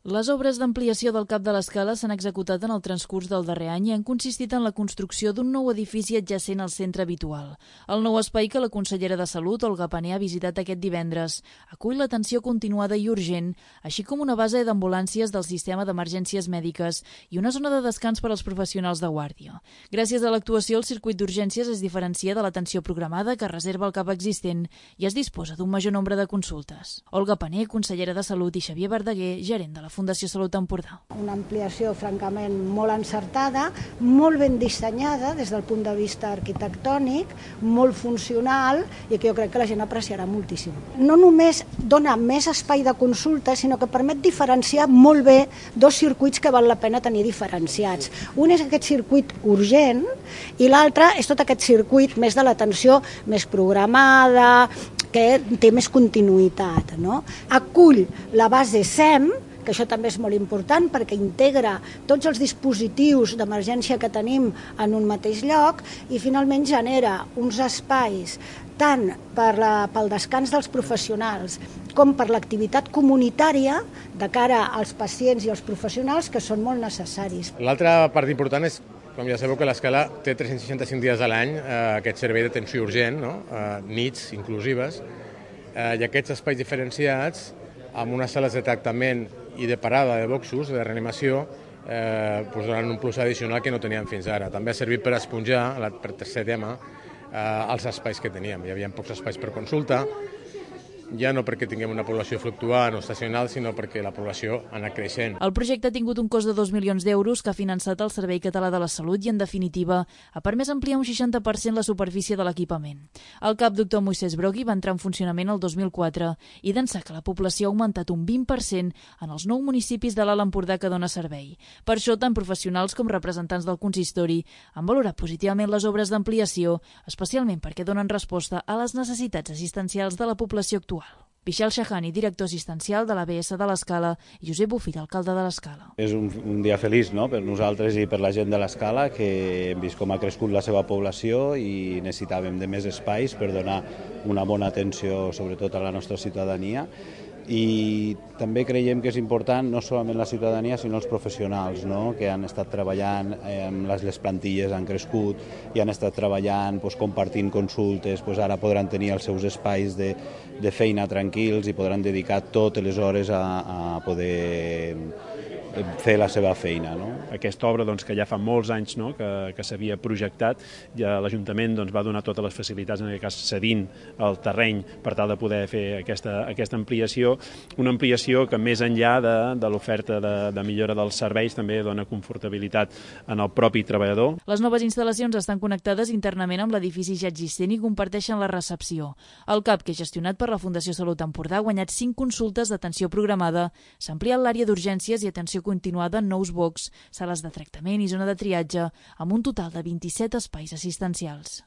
Les obres d'ampliació del Cap de l'Escala s'han executat en el transcurs del darrer any i han consistit en la construcció d'un nou edifici adjacent al centre habitual. El nou espai que la consellera de Salut, Olga Pané, ha visitat aquest divendres acull l'atenció continuada i urgent, així com una base d'ambulàncies del sistema d'emergències mèdiques i una zona de descans per als professionals de guàrdia. Gràcies a l'actuació, el circuit d'urgències es diferencia de l'atenció programada que reserva el CAP existent i es disposa d'un major nombre de consultes. Olga Pané, consellera de Salut, i Xavier Verdaguer, gerent de la Fundació Salut Empordà. Una ampliació francament molt encertada, molt ben dissenyada des del punt de vista arquitectònic, molt funcional i que jo crec que la gent apreciarà moltíssim. No només dona més espai de consulta, sinó que permet diferenciar molt bé dos circuits que val la pena tenir diferenciats. Un és aquest circuit urgent i l'altre és tot aquest circuit més de l'atenció més programada, que té més continuïtat, no? Acull la base SEM, que això també és molt important perquè integra tots els dispositius d'emergència que tenim en un mateix lloc i finalment genera uns espais tant pel descans dels professionals com per l'activitat comunitària de cara als pacients i als professionals que són molt necessaris. L'altra part important és, com ja sabeu, que l'Escala té 365 dies a l'any aquest servei d'atenció urgent, no? Nits inclusives, i aquests espais diferenciats amb unes sales de tractament i de parada de boxos, de reanimació, donen un plus addicional que no teníem fins ara. També ha servit per esponjar, per tercer tema, els espais que teníem. Hi havia pocs espais per consulta, ja no perquè tinguem una població fluctuant o estacional, sinó perquè la població ha anat creixent. El projecte ha tingut un cost de 2 milions d'euros que ha finançat el Servei Català de la Salut i, en definitiva, ha permès ampliar un 60% la superfície de l'equipament. El CAP Dr. Moisès Brogui va entrar en funcionament el 2004 i d'ençà que la població ha augmentat un 20% en els 9 municipis de l'Alt Empordà que dona servei. Per això, tant professionals com representants del consistori han valorat positivament les obres d'ampliació, especialment perquè donen resposta a les necessitats assistencials de la població actual. Vishal Shahani, director assistencial de l'ABS de l'Escala, i Josep Bofill, alcalde de l'Escala. És un dia feliç, no?, per nosaltres i per la gent de l'Escala, que hem vist com ha crescut la seva població i necessitàvem de més espais per donar una bona atenció, sobretot a la nostra ciutadania. I també creiem que és important no solament la ciutadania sinó els professionals, no?, que han estat treballant, les plantilles han crescut i han estat treballant, compartint consultes, ara podran tenir els seus espais de feina tranquils i podran dedicar totes les hores a poder fer la seva feina. Aquesta obra que ja fa molts anys que s'havia projectat, ja l'Ajuntament va donar totes les facilitats, en aquest cas cedint el terreny per tal de poder fer aquesta ampliació, una ampliació que més enllà de l'oferta de millora dels serveis també dona confortabilitat en el propi treballador. Les noves instal·lacions estan connectades internament amb l'edifici ja existent i comparteixen la recepció. El CAP, que és gestionat per la Fundació Salut Empordà, ha guanyat 5 consultes d'atenció programada, s'ha ampliat l'àrea d'urgències i atenció continuada en nous box, sales de tractament i zona de triatge, amb un total de 27 espais assistencials.